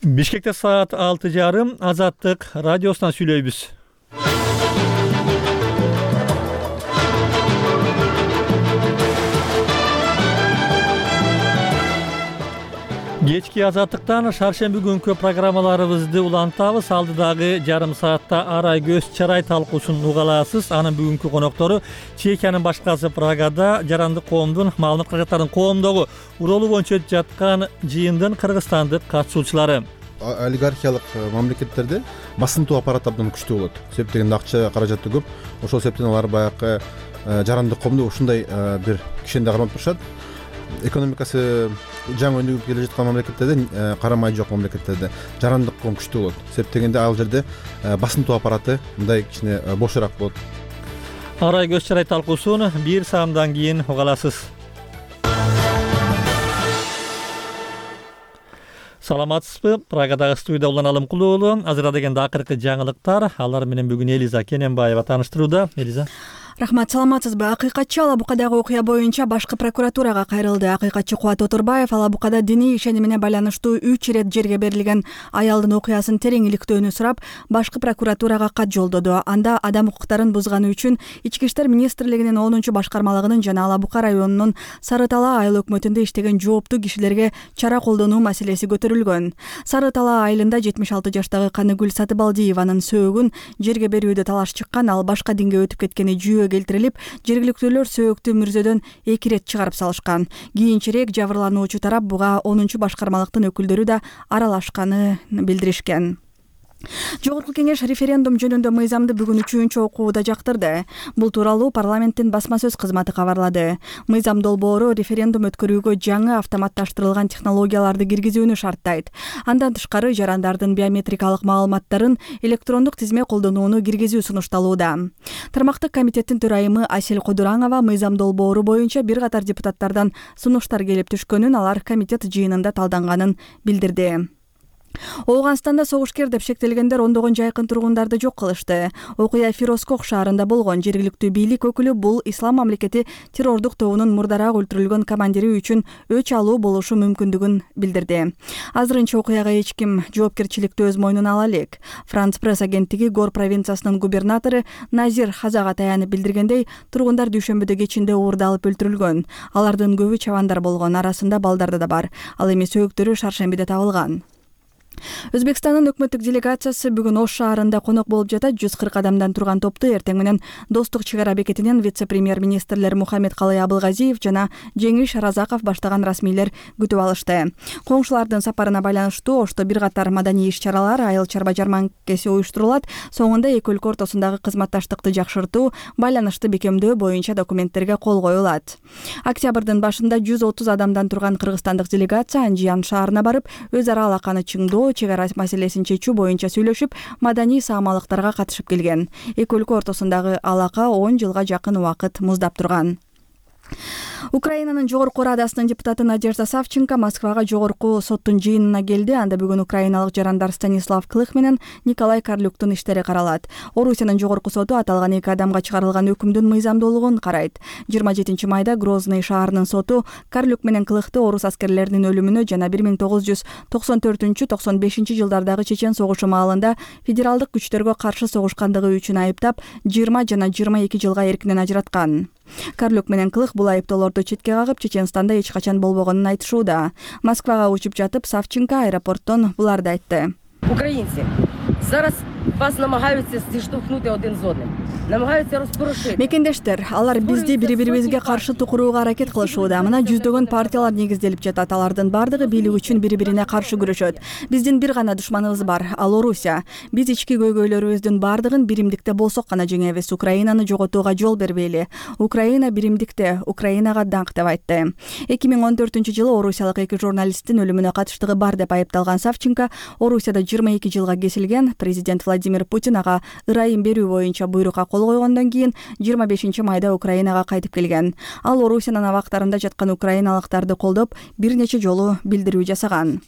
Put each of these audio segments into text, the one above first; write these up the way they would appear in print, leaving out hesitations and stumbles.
Бишкекте саат 6:30 Азаттык радиосунан сүйлөйбүз. Кечки Азаттыктан шаршемби күнкү программаларыбызды улантабыз. Алдыдагы жарым саатта арай көз чарай талкуусун угаласыз. Анын бүгүнкү коноктору Чехиянын башкасы Прагада жарандык коомдун маалымат каражаттарынын коомдогу уролу боюнча жаткан жыйындын кыргызстандык катышуучулары. Олигархиялык мамлекеттерде басынтуу аппарат абдан күчтүү болот. Себеп дегенде акча каражаты көп. Ошол себептен алар баягы жарандык коомду ушундай бир кишенде кармап турушат. Экономикасы жаңы өнүгүп келе жаткан мамлекеттерде, карамай жок мамлекеттерде жарандык коом күчтүү болот. Себеп дегенде ал жерде басынтуу аппараты мындай кичине бошораак болот. Арай көз чарай талкуусун бир саамдан кийин угаласыз. Саламатсызбы? Прагадагы студияда Улан Алымкулуу. Азыр дегенде акыркы жаңылыктар. Алар менен бүгүн Элиза Кененбаева тааныштырууда. Элиза. Рахмат, саламатсызбы? Акыйкатчы Ала Букадагы окуя боюнча башкы прокуратурага кайрылды. Акыйкатчы Кубат Отурбаев Ала Букада диний ишеними менен байланыштуу 3 ирет жерге берилген аялдын окуясын терең иликтөөнү сурап, башкы прокуратурага кат жолдоду. Анда адам укуктарын бузганы үчүн Ички иштер министрлигинин 10 башкармалыгынын жана Ала Бука районунун Сары Талаа айыл өкмөтүндө иштеген жооптуу кишилерге чара колдонуу маселеси көтөрүлгөн. Сары Талаа айылында 76 жаштагы Каныгүл Сатыбалдиеванын сөөгүн жерге берүүдө талаш чыккан. Ал башка динге өтүп кеткени келтирилип, жергиликтүүлөр сөөгтү мүрзөдөн 2 ирет чыгарып салышкан. Кийинчерээк жабырлануучу тарап буга 10 башкармалыктын өкүлдөрү да аралашканын билдиришкен. Жогорку кеңеш референдум жөнүндө мыйзамды бүгүн 3-чү окууда жактырды. Бул тууралуу парламенттин басма сөз кызматы кабарлады. Мыйзам долбоору референдум өткөрүүгө жаңы автоматташтырылган технологияларды киргизүүнү шарттайт. Андан тышкары жарандардын биометрикалык маалыматтарын электрондук тизме колдонууну киргизүү сунушталууда. Тармактык комитеттин төрайымы Асель Кодураңова мыйзам долбоору боюнча бир катар депутаттардан сунуштар келип түшкөнүн, алар комитет жыйынында талданганын билдирди. Ооганстанда согушкер деп шектелгендер ондогон жайкын тургундарды жок кылышты. Окуя Фирозкох шаарында болгон. Жергиликтүү бийлик өкүлү бул ислам мамлекети террордук тобунун мурдараак өлтүрүлгөн командири үчүн өч алуу болушу мүмкүндүгүн билдирди. Азырынча окуяга эч ким жоопкерчиликти өз мойнуна ала элек. Франц пресс агенттиги Гор провинциясынын губернатору Назир Хазага таянып билдиргендей, тургундар дүйшөмбүдө кечинде уурдалып өлтүрүлгөн. Алардын көбү чабандар болгон, арасында балдар да бар. Ал эми сөөгүттөрү шаршембиде табылган. Өзбекстандын өкмөттүк делегациясы бүгүн Ош шаарында конок болуп жатат. 140 адамдан турган топту эртең менен Достук чек ара бекетинен вице-премьер-министрлер Мухаммед Калый Абылгазиев жана Жеңиш Разаков баштаган расмийлер күтүп алышты. Коңшулардын сапарына байланыштуу Ошто бир катар маданий иш-чаралар, айыл чарба жарманкеси уюштурулат. Соңунда эки өлкө ортосундагы кызматташтыкты жакшыртуу, байланышты бекемдөө боюнча документтерге кол коюлат. Октябрдын башында 130 адамдан турган кыргызстандык делегация Анжиян шаарына барып, өз ара алаканы чыңдоо, чек ара маселесин чечүү боюнча сүйлөшүп, маданий саамалыктарга катышып келген. Эки өлкө ортосундагы алака 10 жылга жакын убакыт муздап турган. Украинанын жогорку радасынын депутаты Надежда Савченко Москвага жогорку соттун жыйынына келди. Анда бүгүн украиналык жарандар Станислав Клых менен Николай Карлюктун иштери каралат. Орусиянын жогорку соту аталган эки адамга чыгарылган өкүмдүн мыйзамдуулугун карайт. 27 майда Грозный шаарынын соту Карлюк менен Клыхты орус аскерлеринин өлүмүнө жана 1994-95 жылдардагы Чечен согушу маалында федералдык күчтөргө каршы согушкандыгы үчүн айыптап, 20 жана 22 жылга эркинен ажыраткан. Карлюк менен Клых бул айыптоолорду четке кагып, Чеченстанда эч качан болбогонун айтышууда. Москвага учуп жатып, Савченко аэропорттон буларды айтты. Украинцы, зараз вас намагаються зіштовхнути один з одним. Намагаються розпорошити. Мекендештер, алар бизди бири-бирибизге каршы тукурууга аракет кылышууда. Мына жүздөгөн партиялар негизделип жатат. Алардын бардыгы бийлик үчүн бири-бирине каршы күрөшөт. Биздин бир гана душманыбыз бар, ал Орусия. Биз ички көйгөйлөрүбүздүн бардыгын биримдикте болсок гана жеңебиз. Украинаны жоготууга жол бербейли. Украина биримдикте, Украинага даңк деп айтты. 2014-жылы орусиялык эки журналисттин өлүмүнө катыштыгы бар деп айыпталган Савченко Орусияда 22 жылга кесилген. Президент Владимир Путин ага ырайым берүү боюнча буйрукка кол койгондон кийин 25 майда Украинага кайтып келген. Ал Орусиянын абактарында жаткан украиналыктарды колдоп, бир нече жолу билдирүү жасаган.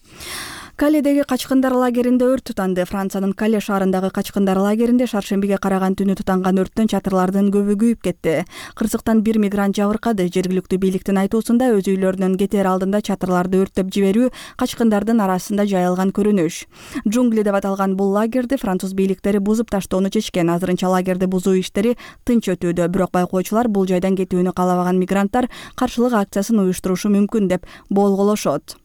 Каледеги качкындар лагеринде өрт тутанды. Франциянын Кале шаарындагы качкындар лагеринде шаршембиге караган түнү тутанган өрттөн чатырлардын көбү күйүп кетти. Кырсыктан бир мигрант жабыркады. Жергиликтүү бийликтин айтуусунда өз үйлөрүнөн кетер алдында чатырларды өрттөп жиберүү качкындардын арасында жайылган көрүнүш. Джунгли деп аталган бул лагерди француз бийликтери бузуп таштоону чечкен. Азырынча лагерди бузуу иштери тынч өтүүдө. Бирок байкоочулар бул жайдан кетүүнү каалабаган мигранттар каршылык акциясын уюштурушу мүмкүн деп болголошот.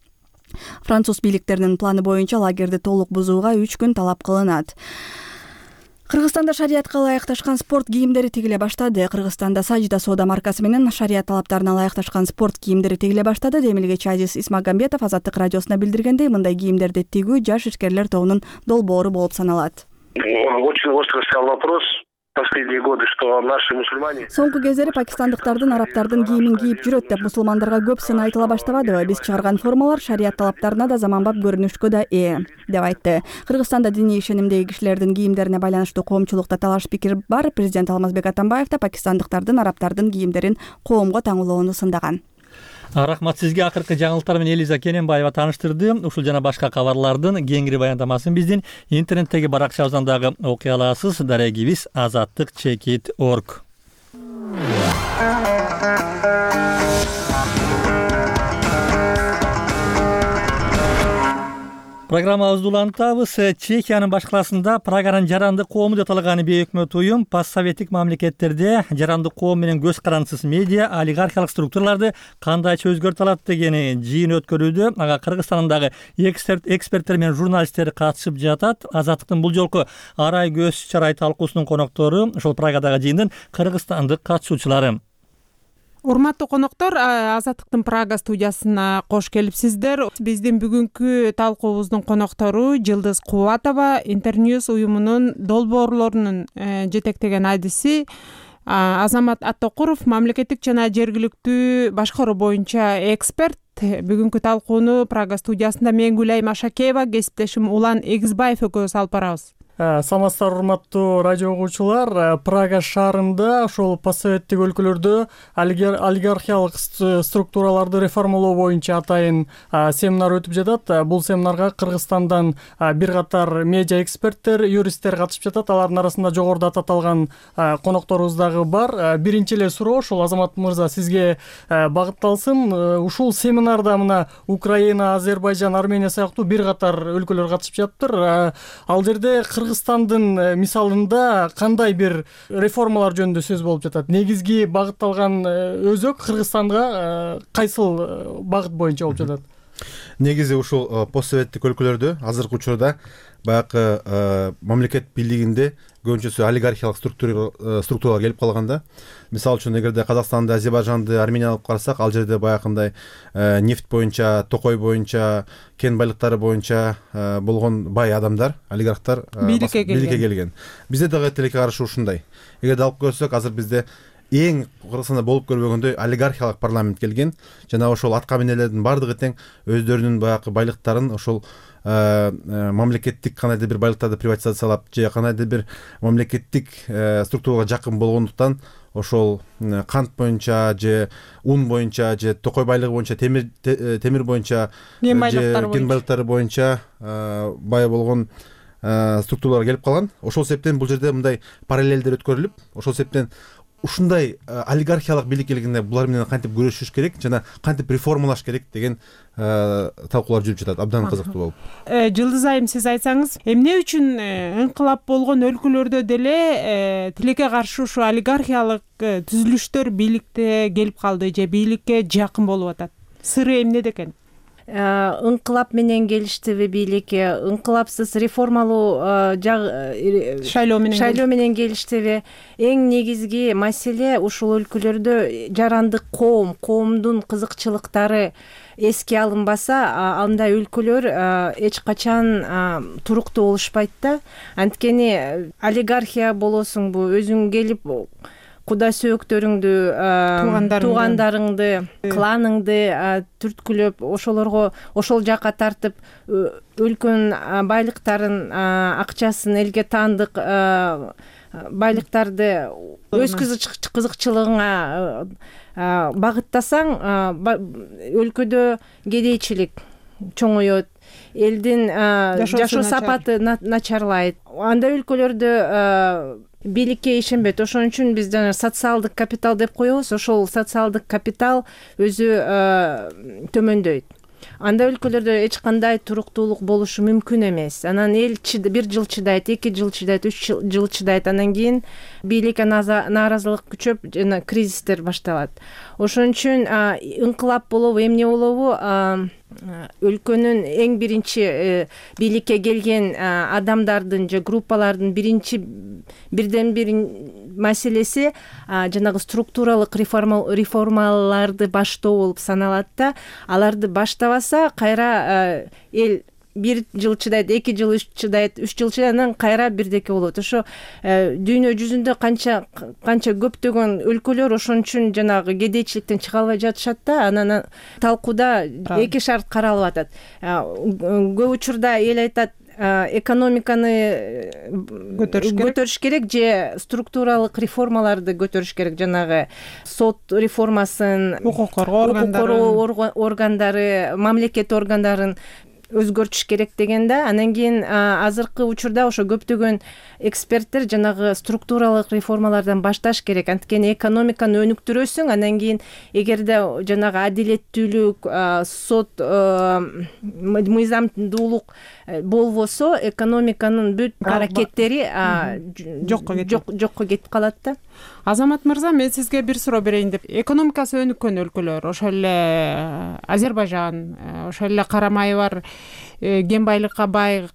Француз бийликтеринин планы боюнча лагерди толук бузууга 3 күн талап кылынат. Кыргызстанда шариятка ылайыкташкан спорт кийимдери тигиле баштады. Кыргызстанда Сажда соода маркасы менен шарият талаптарына ылайыкташкан спорт кийимдери тигиле баштады. Демилгечи Азиз Исмагамбетов Азаттык радиосуна билдиргендей, мындай кийимдерди тигүү жаш ишкерлер тобунун долбоору болуп саналат. Очень остро стоял вопрос. Последние годы, что наши мусульмане... Соңку кездери пакистандыктардын, арабтардын кийимин кийип жүрөт деп мусулмандарга көп сын айтыла баштабадыбы? Биз чыгарган формалар шарият талаптарына да заманбап көрүнүшкө да деп айтты. Кыргызстанда диний ишенимдеги кишилердин кийимдерине байланыштуу коомчулукта талаш пикир бар. Президент Алмазбек Атамбаев да пакистандыктардын, арабтардын кийимдерин коомго таңуулоону сындаган. Рахмат сизге. Акыркы жаңылыктар менен Элиза Кененбаева тааныштырды. Ушул жана башка кабарлардын кеңири баяндамасын биздин интернеттеги баракчабыздан дагы окуй аласыз. Дарегибиз azattik.org. Программабызды улантабыз. Чехиянын башкаласында Праганын жарандык коому деп аталган бейөкмөт уюм постсоветтик мамлекеттерде жарандык коом менен көз карандысыз медиа, олигархиялык структураларды кандайча өзгөртө алат деген жыйын өткөрүүдө. Ага Кыргызстандагы эксперттер менен журналисттер катышып жатат. Азаттыктын бул жолку Арай көз чарай талкуусунун коноктору ошол Прагадагы жыйындын кыргызстандык катышуучулары. Урматтуу коноктор, Азаттыктын Прага студиясына кош келипсиздер. Биздин бүгүнкү талкуубуздун коноктору Жылдыз Кубатова, Интерньюз уюмунун долбоорлорунун жетектеген адиси Азамат Аттокуров, мамлекеттик жана жергиликтүү башкаруу боюнча эксперт. Бүгүнкү талкууну Прага студиясында мен Гүлайым Ашакеева, кесиптешим Улан Эгизбаев экөөбүз алып барабыз. Саламатсыздар урматтуу радио угуучулар. Прага шаарында ошол постсоветтик өлкөлөрдө олигархиялык структураларды реформалоо боюнча атайын семинар өтүп жатат. Бул семинарга Кыргызстандан бир катар медиа эксперттер, юристтер катышып жатат. Алардын арасында жогоруда аталган конокторубуз дагы бар. Биринчи эле суроо ошол Азамат мырза сизге багытталсын. Ушул семинарда мына Украина, Азербайжан, Армения сыяктуу бир катар өлкөлөр катышып жатыптыр. Ал жерде Кыргызстандын мисалында кандай бир реформалар жөнүндө сөз болуп жатат? Негизги багытталган өзөк Кыргызстанга кайсыл багыт боюнча болуп жатат? Негизи ушул постсоветтик өлкөлөрдө азыркы учурда баягы мамлекет бийлигинде көбүнчөсү олигархиялык структуралар келип калганда. Мисалы үчүн эгерде Казакстанды, Азербайжанды, Арменияны алып карасак, ал жерде баягындай нефть боюнча, токой боюнча, кен байлыктары боюнча болгон бай адамдар, олигархтар бийликке келген. Бизде дагы тилекке каршы ушундай. Эгерде алып көрсөк, азыр бизде эң Кыргызстанда болуп көрбөгөндөй олигархиялык парламент келген. Жана ошол атка минелердин бардыгы тең өздөрүнүн баягы байлыктарын ошол мамлекеттик кандайдыр бир байлыктарды приватизациялап же кандайдыр бир мамлекеттик структурага жакын болгондуктан ошол кант боюнча же ун боюнча же токой байлыгы боюнча, темир боюнча же кен байлыктары боюнча бай болгон структуралар келип калган. Ошол себептен бул жерде мындай параллелдер өткөрүлүп, ошол себептен ушундай олигархиялык бийлик келгенде булар менен кантип күрөшүш керек жана кантип реформалаш керек деген талкуулар жүрүп жатат. Абдан кызыктуу болуп. Жылдыз айым, сиз айтсаңыз, эмне үчүн инкылап болгон өлкөлөрдө деле тилекке каршы ушу олигархиялык түзүлүштөр бийликте келип калды же бийликке жакын болуп атат? Сыры эмнеде экен? Инкылап менен келиштиби бийликке, инкылапсыз реформалуу шайлоо менен келиштиби? Эң негизги маселе ушул өлкөлөрдө жарандык коомдун кызыкчылыктары эске алынбаса, андай өлкөлөр эч качан туруктуу болушпайт да. Анткени олигархия болосуңбу, өзүң келип куда сөөктөрүңдү, туугандарыңды, кланыңды түрткүлөп, ошол жака тартып, өлкөнүн байлыктарын, акчасын, элге таандык байлыктарды өз кызыкчылыгыңа багыттасаң, өлкөдө кедейчилик чоңоет. элдин жашоо сапаты начарлайт. Андай өлкөлөрдө бийликке ишенбейт. Ошон үчүн биз жана социалдык капитал деп коебуз. Ошол социалдык капитал өзү төмөндөйт. Андай өлкөлөрдө эч кандай туруктуулук болушу мүмкүн эмес. Анан эл 1 жыл чыдайт, 2 жыл чыдайт, 3 жыл чыдайт. Анан кийин бийликке нааразылык күчөп жана кризистер башталат. Ошон үчүн ыңкылап болобу, эмне болобу, өлкөнүн эң биринчи бийликке келген адамдардын же группалардын бирден бир маселеси жанагы структуралык реформаларды баштоо болуп саналат да. Аларды баштабаса кайра эл 1 жыл чыдайт, 2 жыл чыдайт, 3 жыл чыдайт, анан кайра бирдеке болот. Ошо дүйнө жүзүндө канча көптөгөн өлкөлөр ошон үчүн жанагы кедейчиликтен чыга албай жатышат да. Анан талкууда 2 шарт каралып атат. Көп учурда эл айтат, экономиканы көтөрүш керек же структуралык реформаларды көтөрүш керек. Жанагы сот реформасын, укук коргоо органдары, мамлекет органдарын өзгөртүш керек деген да. Анан кийин азыркы учурда ошо көптөгөн эксперттер жанагы структуралык реформалардан башташ керек. Анткени экономиканы өнүктүрөсүң, анан кийин эгерде жанагы адилеттүүлүк, сот, мыйзамдуулук болбосо, экономиканын бүт аракеттери жокко кетип калат да. Азамат мырза, мен сизге бир суроо берейин деп. Экономикасы өнүккөн өлкөлөр, ошол эле Азербайжан, ошол эле карамайы бар, кен байлыкка бай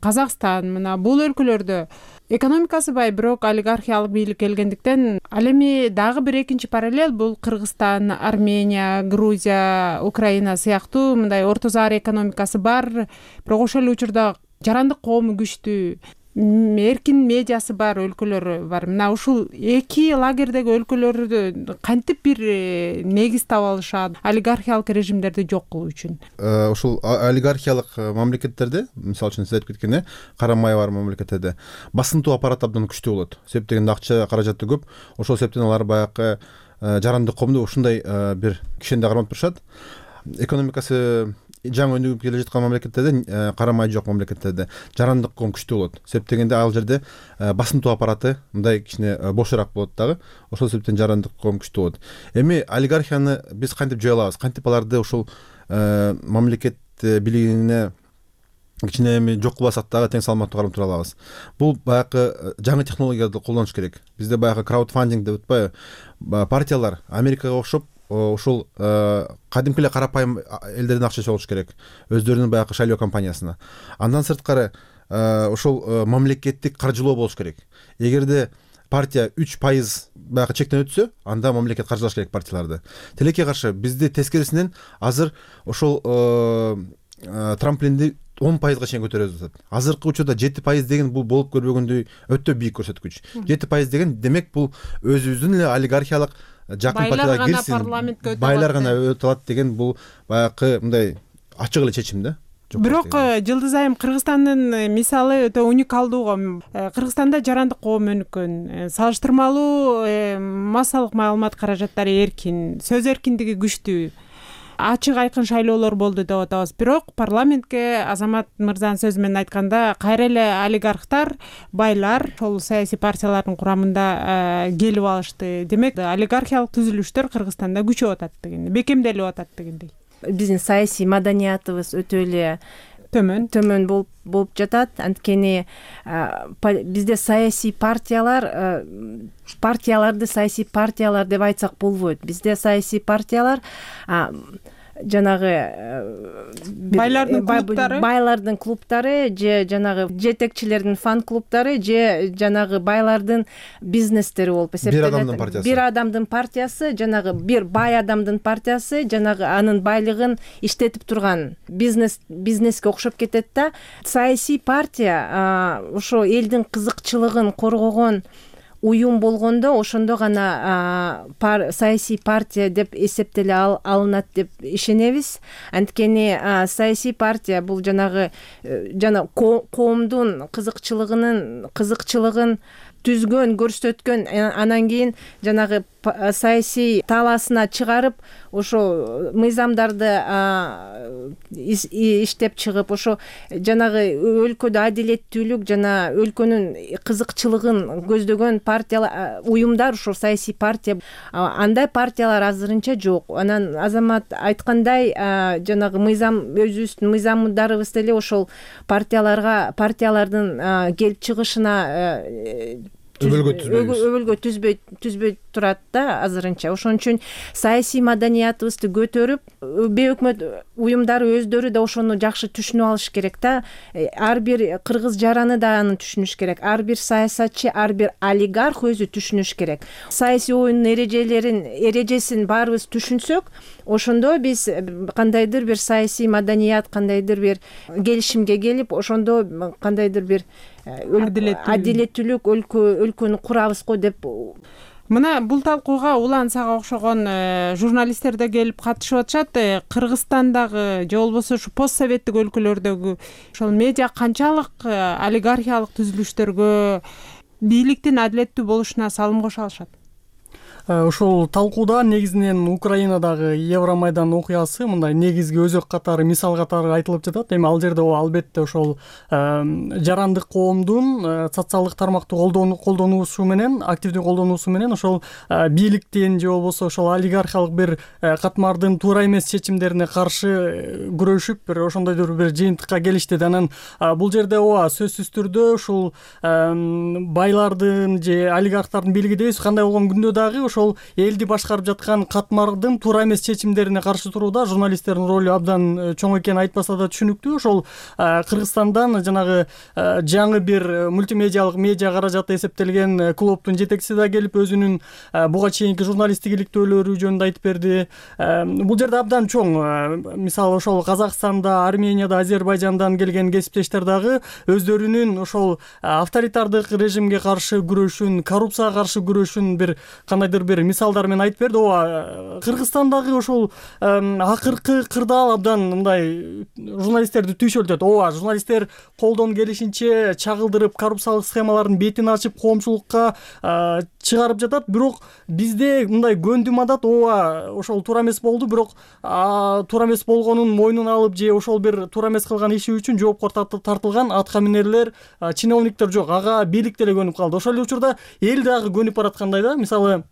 Казакстан, мына бул өлкөлөрдө экономикасы бай, бирок олигархиялык бийлик келгендиктен, ал эми дагы бир экинчи параллель бул Кыргызстан, Армения, Грузия, Украина сыяктуу мындай орто заар экономикасы бар, бирок ошол эле учурда жарандык коому күчтүү, эркин медиасы бар өлкөлөр бар. Мына ушул эки лагердеги өлкөлөрдө кантип бир негиз таба алышат олигархиялык режимдерди жок кылуу үчүн? Ушул олигархиялык мамлекеттерде, мисалы үчүн сиз айтып кеткендей, карамай бар мамлекеттерде басынтуу аппарат абдан күчтүү болот. Себеп дегенде акча каражаты көп. Ошол себептен алар баягы жарандык коомду ушундай бир кишенде кармап турушат. Экономикасы жаңы өнүгүп келе жаткан мамлекеттерде, карамай жок мамлекеттерде жарандык коом күчтүү болот. Себеп дегенде ал жерде басынтуу аппараты мындай кичине бошураак болот дагы. Ошол себептен жарандык коом күчтүү болот. Эми олигархияны биз кантип жое алабыз? Кантип аларды ушул мамлекет бийлигине кичине эми жок кылбасак дагы тең салмактуу карап тура алабыз? Бул баягы жаңы технологияларды колдонуш керек. Бизде баягы краудфандинг деп атпайбы? Партиялар Америкага окшоп ошол кадимки эле карапайым элдердин акчасы болуш керек, өздөрүнүн баягы шайлоо компаниясына. Андан сырткары ошол мамлекеттик каржылоо болуш керек. Эгерде партия 3% баягы чектен өтсө, анда мамлекет каржылаш керек партияларды. Тилекке каршы бизде тескерисинен азыр ошол трамплинди 10%га чейин көтөрөбүз деп атат. Азыркы учурда 7% деген бул болуп көрбөгөндөй өтө бийик көрсөткүч. 7% деген демек бул өзүбүздүн эле олигархиялык жакын партияларга кирсин, байлар гана өтө алат деген бул баягы мындай ачык эле чечим да. Бирок Жылдыз айым, Кыргызстандын мисалы өтө уникалдуу го. Кыргызстанда жарандык коом өнүккөн, салыштырмалуу массалык маалымат каражаттары эркин, сөз эркиндиги күчтүү, ачык айкын шайлоолор болду деп атабыз. Бирок парламентке Азамат мырзанын сөзү менен айтканда кайра эле олигархтар, байлар ошол саясий партиялардын курамында келип алышты. Демек, олигархиялык түзүлүштөр Кыргызстанда күчөп атат дегендей, бекемделип атат дегендей. Биздин саясий маданиятыбыз өтө эле төмөн болуп жатат. Анткени бизде саясий партияларды саясий партиялар деп айтсак болбойт. Бизде саясий партиялар жанагы байлардын клубтары же жанагы жетекчилердин фан клубтары же жанагы байлардын бизнестери болуп эсептелет. Бир адамдын партиясы, жанагы бир бай адамдын партиясы, жанагы анын байлыгын иштетип турган бизнеске окшоп кетет да. Саясий партия ошо элдин кызыкчылыгын коргогон уюм болгондо ошондо гана саясий партия деп эсептеле алынат деп ишенебиз. Анткени саясий партия бул жанагы коомдун кызыкчылыгын түзгөн, көрсөткөн, анан кийин жанагы саясий талаасына чыгарып, ошо мыйзамдарды иштеп чыгып, ошо жанагы өлкөдө адилеттүүлүк жана өлкөнүн кызыкчылыгын көздөгөн партиялар, уюмдар, ошо саясий партия, андай партиялар азырынча жок. Анан Азамат айткандай, жанагы мыйзам, өзүбүздүн мыйзамдарыбыз деле ошол партиялардын келип чыгышына өбөлгө түзбөй турат да азырынча. Ошон үчүн саясий маданиятыбызды көтөрүп, бейөкмөт уюмдары өздөрү да ошону жакшы түшүнүп алыш керек да. Ар бир кыргыз жараны да аны түшүнүш керек. Ар бир саясатчы, ар бир олигарх өзү түшүнүш керек. Саясий оюндун эрежесин баарыбыз түшүнсөк, ошондо биз кандайдыр бир саясий маданият, кандайдыр бир келишимге келип, ошондо кандайдыр бир адилеттүүлүк өлкөнү курабыз го деп. Мына бул талкууга Улан Сага окшогон журналисттер да келип катышып атышат. Кыргызстандагы же болбосо ушу постсоветтик өлкөлөрдөгү ошол медиа канчалык олигархиялык түзүлүштөргө, бийликтин адилеттүү болушуна салым кошо алышат? Ошол талкууда негизинен Украинадагы Евромайдан окуясы мындай негизги өзөк катары, мисал катары айтылып жатат. Эми ал жерде албетте ошол жарандык коомдун социалдык тармакты колдонуусу менен, активдүү колдонуусу менен ошол бийликтин же болбосо ошол олигархиялык бир катмардын туура эмес чечимдерине каршы күрөшүп, бир ошондойдур бир жыйынтыкка келишти. Анан бул жерде ооба сөзсүз түрдө ушул байлардын же олигархтардын бийлиги дейбиз, кандай болгон күндө дагы ошол элди башкарып жаткан катмардын туура эмес чечимдерине каршы турууда журналисттердин ролу абдан чоң экени айтпаса да түшүнүктүү. Ошол Кыргызстандан жанагы жаңы бир мультимедиалык медиа каражаты эсептелген клубдун жетекчиси да келип өзүнүн буга чейинки журналисттик иликтөөлөрү жөнүндө айтып берди. Бул жерде абдан чоң, мисалы ошол Казакстанда, Арменияда, Азербайжандан келген кесиптештер дагы өздөрүнүн ошол авторитардык режимге каршы күрөшүн, коррупцияга каршы күрөшүн бир кандайдыр бир мисалдар менен айтып берди. Ооба, Кыргызстандагы ошол акыркы кырдаал абдан мындай журналисттерди түйшөлтөт. Ооба, журналисттер колдон келишинче чагылдырып, коррупциялык схемалардын бетин ачып, коомчулукка чыгарып жатат. Бирок бизде мындай көндүм адат, ооба, ошол туура эмес болду, бирок туура эмес болгонун мойнуна алып же ошол бир туура эмес кылган иши үчүн жоопко тартылган атка минерлер, чиновниктер жок. Ага бийлик деле көнүп калды. Ошол эле учурда эл дагы көнүп бараткандай да. Мисалы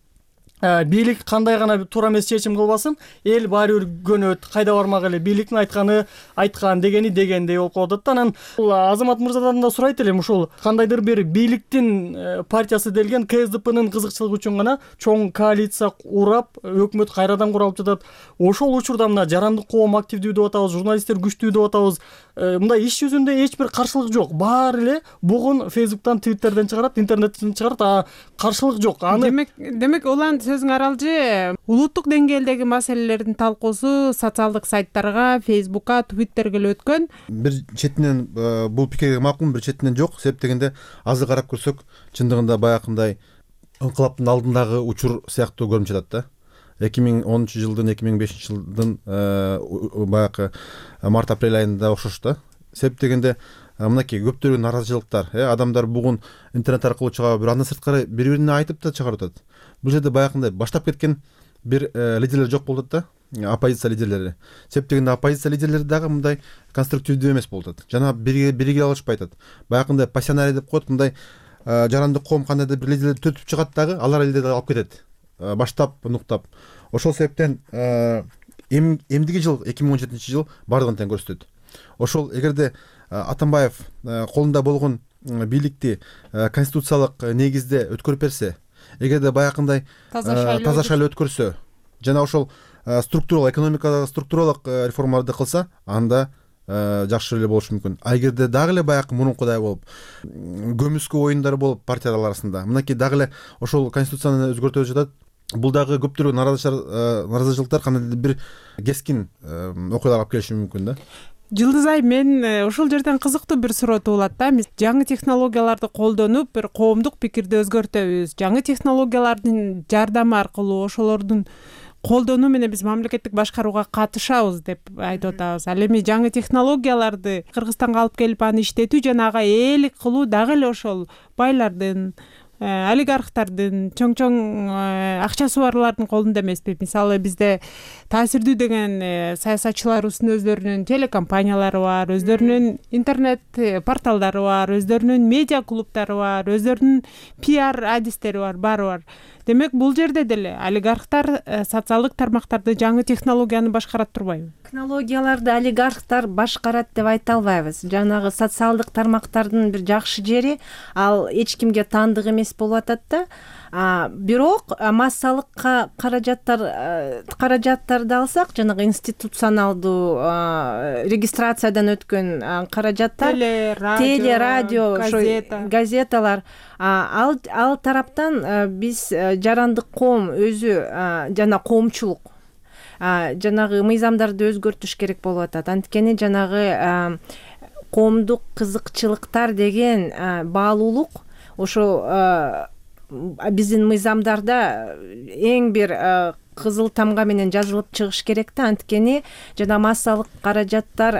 бийлик кандай гана туура эмес чечим кылбасын, эл баары бир көнөт, кайда бармак эле, бийликтин айткан дегени дегендей болуп калып атат. Анан Азамат мырзадан да сурайт элем, ушул кандайдыр бир бийликтин партиясы делген КСДПнын кызыкчылыгы үчүн гана чоң коалиция урап, өкмөт кайрадан куралып жатат. Ошол учурда мына жарандык коом активдүү деп атабыз, журналисттер күчтүү деп атабыз. Мындай иш жүзүндө эч бир каршылык жок. Баары эле бугун Фейсбуктан, Твиттерден чыгарат, интернеттен чыгарат, каршылык жок. Демек Улан, сөзүң аралжы, улуттук деңгээлдеги маселелердин талкуусу социалдык сайттарга, Фейсбукка, Твиттерге эле өткөн. Бир четинен бул пикирге макулмун, бир четинен жок. Себеп дегенде азыр карап көрсөк, чындыгында баягындай инкылаптын алдындагы учур сыяктуу көрүнүп жатат да. 2010 жылдын, 2005 жылдын баягы март-апрель айында окшош да. Себеп дегенде мынакей көптөгөн наразычылыктар, адамдар бугун интернет аркылуу чыгып, бир андан сырткары бири-бирине айтып да чыгарып атат. Бул жерде баягындай баштап кеткен бир лидерлер жок болуп атат да, оппозиция лидерлери. Себеп дегенде оппозиция лидерлери дагы мындай конструктивдүү эмес болуп атат. Жана бириге алышпай атат. Баягындай пассионарий деп коет, мындай жарандык коом кандайдыр бир лидерлерди төтүп чыгат дагы, алар элде дагы алып кетет. Баштап, нуктап. Ошол себептен эмдиги жыл 2017 жыл бардыгын тең көрсөтөт. Ошол эгерде Атамбаев колунда болгон бийликти конституциялык негизде өткөрүп берсе, эгерде баягындай таза шайлоо өткөрсө, жана ошол структуралык, экономикадагы структуралык реформаларды кылса, анда жакшы эле болушу мүмкүн. А эгерде дагы эле баягы мурункудай болуп, көмүскө оюндар болуп партиялар арасында, мынакей дагы эле ошол конституцияны өзгөртүп жатат. Бул дагы көптөгөн наразычылыктар кандайдыр бир кескин окуяларга алып келиши мүмкүн да. Жылдыз Ай, мен ушул жерден кызыктуу бир суроо туулат да. Биз жаңы технологияларды колдонуп, бир коомдук пикирди өзгөртөбүз. Жаңы технологиялардын жардамы аркылуу ошолордун колдонуу менен биз мамлекеттик башкарууга катышабыз деп айтып атабыз. Ал эми жаңы технологияларды Кыргызстанга алып келип аны иштетүү жана ага ээлик кылуу дагы эле ошол байлардын, олигархтардын, чоң акчасы барлардын колунда эмеспи? Мисалы бизде таасирдүү деген саясатчыларыбыздын өздөрүнүн телекомпаниялары бар, өздөрүнүн интернет порталдары бар, өздөрүнүн медиа клубдары бар, өздөрүнүн пиар адистери бар, баары бар. Демек бул жерде деле олигархтар социалдык тармактарды, жаңы технологияны башкарат турбайбы? Технологияларды олигархтар башкарат деп айта албайбыз. Жанагы социалдык тармактардын бир жакшы жери ал эч кимге таандык эмес болуп атат да. Бирок массалык каражаттарды алсак, жанагы институционалдуу регистрациядан өткөн каражаттар, теле, радио, газеталар, ал тараптан биз жарандык коом өзү жана коомчулук жанагы мыйзамдарды өзгөртүш керек болуп атат. Анткени жанагы коомдук кызыкчылыктар деген баалуулук ошо биздин мыйзамдарда эң бир кызыл тамга менен жазылып чыгыш керек да. Анткени жана массалык каражаттар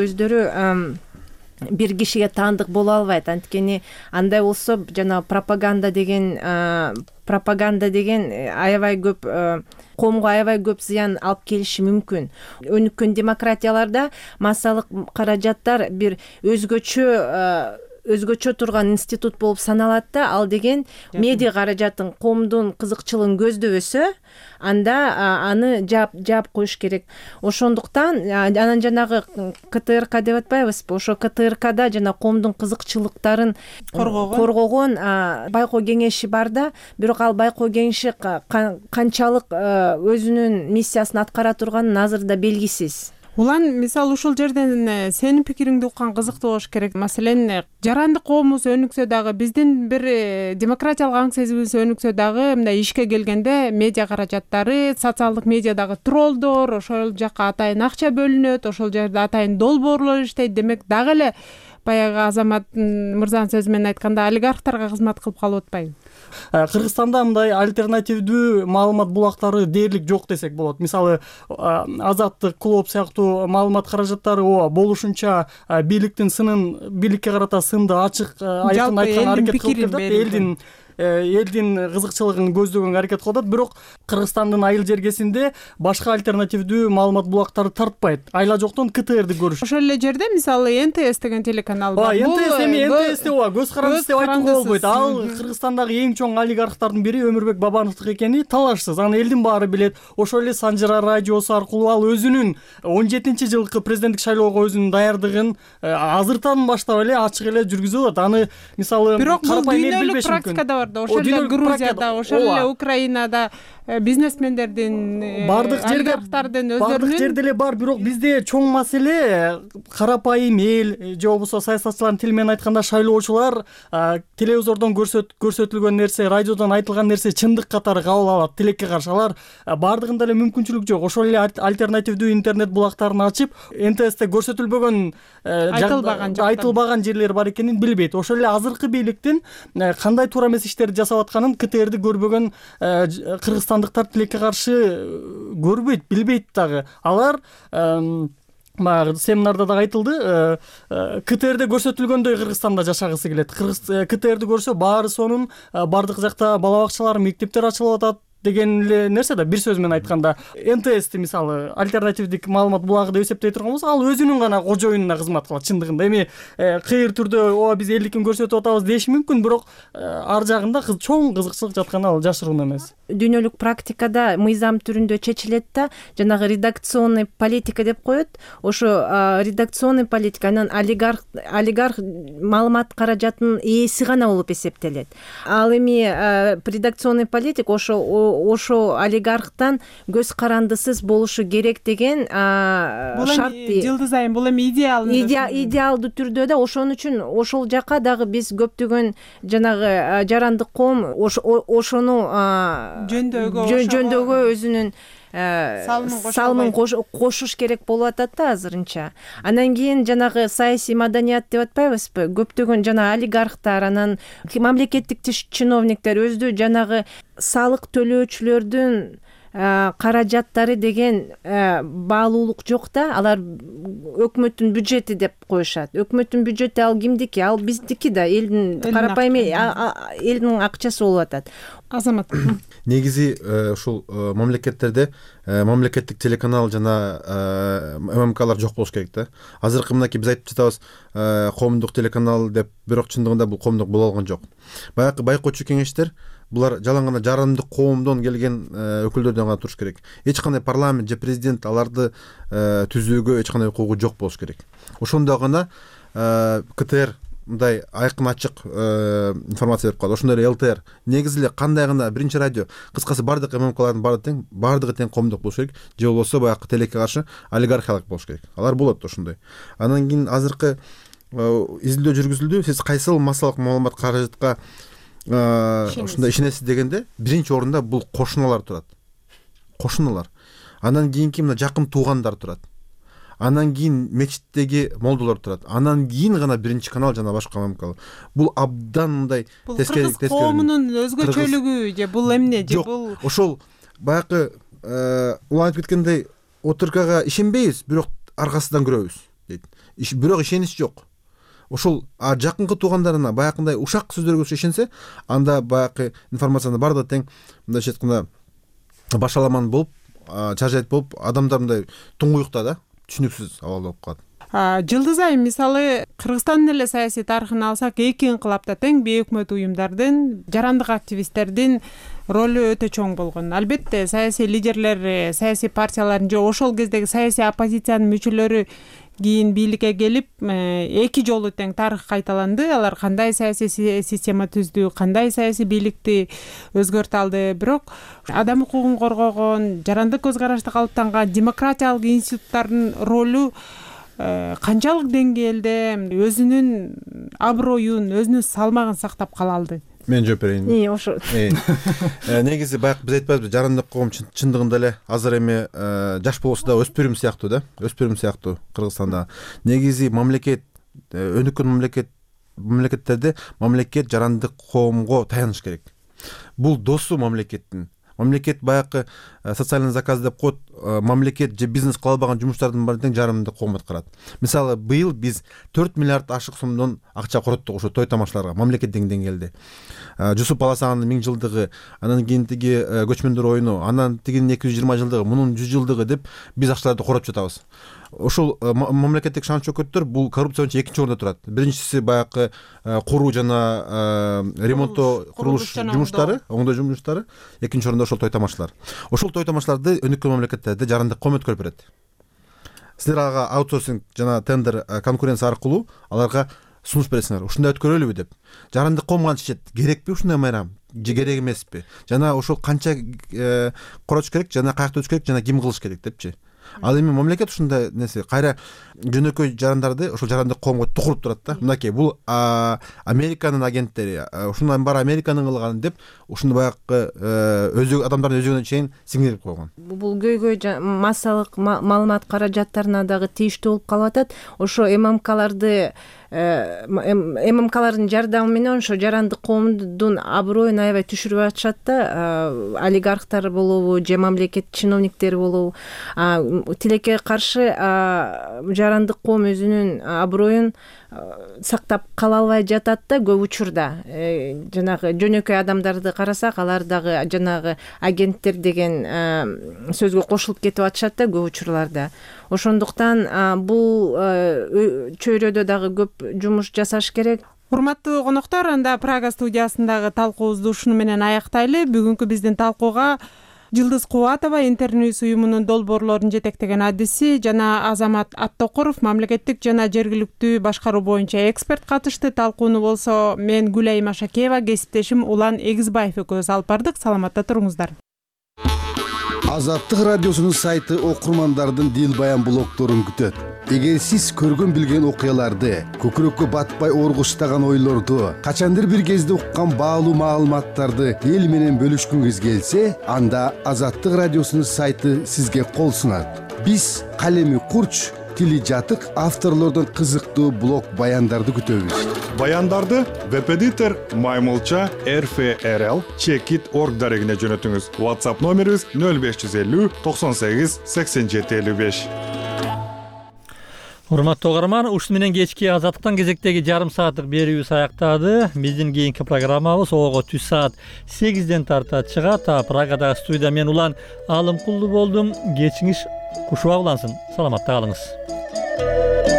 өздөрү бир кишиге таандык боло албайт. Анткени андай болсо жана пропаганда деген аябай көп коомго аябай көп зыян алып келиши мүмкүн. Өнүккөн демократияларда массалык каражаттар бир өзгөчө турган институт болуп саналат да. Ал деген медиа каражатын, коомдун кызыкчылыгын көздөбөсө, анда аны жаап коюш керек. Ошондуктан анан жанагы КТРК деп атпайбызбы? Ошо КТРКда жана коомдун кызыкчылыктарын коргогон байкоо кеңеши бар да. Бирок ал байкоо кеңеши канчалык өзүнүн миссиясын аткара турганын азырда белгисиз. Улан, мисалы ушул жерден сенин пикириңди уккан кызыктуу болуш керек. Маселен, жарандык коомубуз өнүксө дагы, биздин бир демократиялык аң сезимибиз өнүксө дагы, мындай ишке келгенде медиа каражаттары, социалдык медиадагы троллдор, ошол жакка атайын акча бөлүнөт, ошол жерде атайын долбоорлор иштейт. Демек дагы эле баягы Азамат мырзанын сөзү менен айтканда олигархтарга кызмат кылып калып атпайбы? Кыргызстанда мындай альтернативдүү маалымат булактары дээрлик жок десек болот. Мисалы, Азаттык, Клоп сыяктуу маалымат каражаттары болушунча бийликтин бийликке карата сынды ачык айкын айткан аракет кылып келет, элдин кызыкчылыгын көздөгөнгө аракет кылып атат. Бирок Кыргызстандын айыл жергесинде башка альтернативдүү маалымат булактары тартпайт. Айла жоктон КТРди көрүш. Ошол эле жерде мисалы НТС деген телеканал бар. НТС көз карандысы деп айтууга болбойт. Ал Кыргызстандагы эң чоң олигархтардын бири Өмүрбек Бабановдук экени талашсыз. Аны элдин баары билет. Ошол эле Санжыра радиосу аркылуу ал өзүнүн 17-жылкы президенттик шайлоого өзүнүн даярдыгын азыртан баштап эле ачык эле жүргүзүп атат. Аны мисалы бирок бул дүйнөлүк практикада бар да. Ошол эле Грузияда, ошол эле Украинада бизнесмендердин, олигархтардын өздөрүнүн бардык жерде эле бар. Бирок бизде чоң маселе карапайым эл же болбосо саясатчылардын тили менен айтканда шайлоочулар телевизордон көрсөтүлгөн нерсе, радиодон айтылган нерсе чындык катары кабыл алат. Тилекке каршы алар бардыгында эле мүмкүнчүлүк жок. Ошол эле альтернативдүү интернет булактарын ачып, НТСте көрсөтүлбөгөн айтылбаган жерлер бар экенин билбейт. Ошол эле азыркы бийликтин кандай туура эмес иштерди жасап атканын КТРди көрбөгөн кыргызстандыктар тилекке каршы көрбөйт, билбейт дагы. Алар баягы семинарда дагы айтылды, КТРде көрсөтүлгөндөй Кыргызстанда жашагысы келет. КТРди көрсө баары сонун, бардык жакта бала бакчалар, мектептер ачылып атат деген эле нерсе да. Бир сөз менен айтканда, НТСти мисалы альтернативдик маалымат булагы деп эсептей турган болсо, ал өзүнүн гана кожоюнуна кызмат кылат чындыгында. Эми кыйыр түрдө биз элдикин көрсөтүп атабыз деши мүмкүн, бирок ар жагында чоң кызыкчылык жатканы ал жашыруун эмес. Дүйнөлүк практикада мыйзам түрүндө чечилет да, жанагы редакционный политика деп коет. Ошо редакционный политика анан олигарх маалымат каражатынын ээси гана болуп эсептелет. Ал эми редакционный политик ошо олигархтан көз карандысыз болушу керек деген шарт. Жылдыз айым, бул эми идеалдуу түрдө да. Ошон үчүн ошол жака дагы биз көптөгөн жанагы жарандык коом ошону жөндөөгө өзүнүн салымын кошуш керек болуп атат да азырынча. Анан кийин жанагы саясий маданият деп атпайбызбы? Көптөгөн жана олигархтар, анан мамлекеттик чиновниктер өздү жанагы салык төлөөчүлөрдүн каражаттары деген баалуулук жок да, алар өкмөттүн бюджети деп коюшат. Өкмөттүн бюджети ал кимдики? Ал биздики да, элдин карапайым элдин акчасы болуп атат. Азамат, негизи ушул мамлекеттерде мамлекеттик телеканал жана ММКлар жок болуш керек да. Азыркы мынакей биз айтып жатабыз коомдук телеканал деп, бирок чындыгында бул коомдук боло алган жок. Баягы байкоочу кеңештер булар жалаң гана жарандык коомдон келген өкүлдөрдөн гана туруш керек. Эч кандай парламент же президент аларды түзүүгө эч кандай укугу жок болуш керек. Ошондо гана КТР мындай айкын ачык информация берип калат. Ошондой эле ЛТР. Негизи эле кандай гана биринчи радио, кыскасы бардык ММКлардын бардыгы тең коомдук болуш керек, же болбосо баягы телекке каршы олигархиялык болуш керек. Алар болот ошондой. Андан кийин азыркы изилдөө жүргүзүлдү. Сиз кайсыл массалык маалымат каражатка ушундай ишенесиз дегенде, биринчи орунда бул кошуналар турат. Кошуналар. Андан кийинки мына жакын туугандар турат. Андан кийин мечиттеги молдолор турат. Андан кийин гана биринчи канал жана башка ММК. Бул абдан мындай тескери коомунун өзгөчөлүгү же бул эмне же бул ошол баягы улам айтып кеткендей отуркага ишенбейбиз, бирок аркасынан көрөбүз дейт. Бирок ишенич жок. Ошол жакынкы туугандарына баягындай ушак сөздөргө ишенсе, анда баягы информациянын бардыгы тең мындайча айтканда башаламан болуп, чаржайт болуп, адамдар мындай туңгуюкта да, түшүнүксүз абалда болуп калат. Жылдыз айым, мисалы Кыргызстандын эле саясий тарыхын алсак, эки инкылапта тең бейөкмөт уюмдардын, жарандык активисттердин ролу өтө чоң болгон. Албетте саясий лидерлер, саясий партиялардын же ошол кездеги саясий оппозициянын мүчөлөрү кийин бийликке келип, эки жолу тең тарых кайталанды. Алар кандай саясий система түздү, кандай саясий бийликти өзгөртө алды. Бирок адам укугун коргогон, жарандык көз карашты калыптанган демократиялык институттардын ролу канчалык деңгээлде өзүнүн аброюн, өзүнүн салмагын сактап кала алды? Мен жооп берейин. Ошо. Негизи баягы биз айтпайбызбы, жарандык коом чындыгында эле азыр эми жаш болсо да өспүрүм сыяктуу да, өспүрүм сыяктуу Кыргызстанда. Негизи мамлекет, өнүккөн мамлекеттерде мамлекет жарандык коомго таяныш керек. Бул досу мамлекеттин. Мамлекет баягы социальный заказ деп коет, мамлекет же бизнес кыла албаган жумуштардын баарын тең жарандык коом аткарат. Мисалы, быйыл биз 4 миллиард ашык сомдон акча короттук ошо той тамашаларга, мамлекеттик деңгээлде. Жусуп Баласагандын 1000 жылдыгы, анан кийин тиги көчмөндөр оюну, анан тигинин 220 жылдыгы, мунун 100 жылдыгы деп биз акчаларды короп жатабыз. Ошол мамлекеттик шан чөкөттөр бул коррупция боюнча экинчи орунда турат. Биринчиси баягы куруу жана ремонттоо, курулуш жумуштары, оңдоо жумуштары, экинчи орунда ошол той тамашалар. Ошол той тамашаларды өнүккөн мамлекеттерде жарандык коом өткөрүп берет. Силер ага аутсорсинг жана тендер конкуренция аркылуу аларга сунуш бересиңер. Ушундай өткөрөлүбү деп. Жарандык коом гана чечет. Керекпи ушундай майрам? Же керек эмеспи? Жана ошол канча коротуш керек, жана каякта өтүш керек, жана ким кылыш керек депчи. Ал эми мамлекет ушундай нерсе кайра жөнөкөй жарандарды ошол жарандык коомго тукуруп турат да. Мынакей бул Американын агенттери, ушундан баары Американын кылганы деп ушундай баягы адамдардын өзүгүнө чейин сиңирип койгон. Бул көйгөй массалык маалымат каражаттарына дагы тийиштүү болуп калып атат. Ошо ММКлардын жардамы менен ошо жарандык коомдун аброюн аябай түшүрүп атышат да. Олигархтар болобу же мамлекет чиновниктери болобу, тилекке каршы жарандык коом өзүнүн аброюн сактап кала албай жатат да көп учурда. Жанагы жөнөкөй адамдарды карасак, алар дагы жанагы агенттер деген сөзгө кошулуп кетип атышат да көп учурларда. Ошондуктан бул чөйрөдө дагы көп жумуш жасаш керек. Урматтуу коноктор, анда Прага студиясындагы талкуубузду ушуну менен аяктайлы. Бүгүнкү биздин талкууга Жылдыз Кубатова, Интерньюс уюмунун долбоорлорун жетектеген адиси, жана Азамат Аттокуров, мамлекеттик жана жергиликтүү башкаруу боюнча эксперт катышты. Талкууну болсо мен Гүлайым Ашакеева, кесиптешим Улан Эгизбаев экөөбүз алып бардык. Саламатта туруңуздар. Азаттык радиосунун сайты окурмандардын дил баян блогторун күтөт. Эгер сиз көргөн билген окуяларды, көкүрөккө батпай оргуштаган ойлорду, качандыр бир кезде уккан баалуу маалыматтарды эл менен бөлүшкүңүз келсе, анда Азаттык радиосунун сайты сизге кол сунат. Биз калеми курч, тили жатык авторлордон кызыктуу блог баяндарды күтөбүз. Баяндарды веб-эдитор Маймылча RFRL Checkit.org дарегине жөнөтүңүз. WhatsApp номерибиз 0550 98 87 55. Урматтуу угарман, ушуну менен кечки Азаттыктан кезектеги жарым сааттык берүүбүз аяктады. Биздин кийинки программабыз ого түш саат 8ден тарта чыгат. Прагадагы студияда мен Улан Алымкулду болдум. Кечиңиз кушуа улансын. Саламатта калыңыз.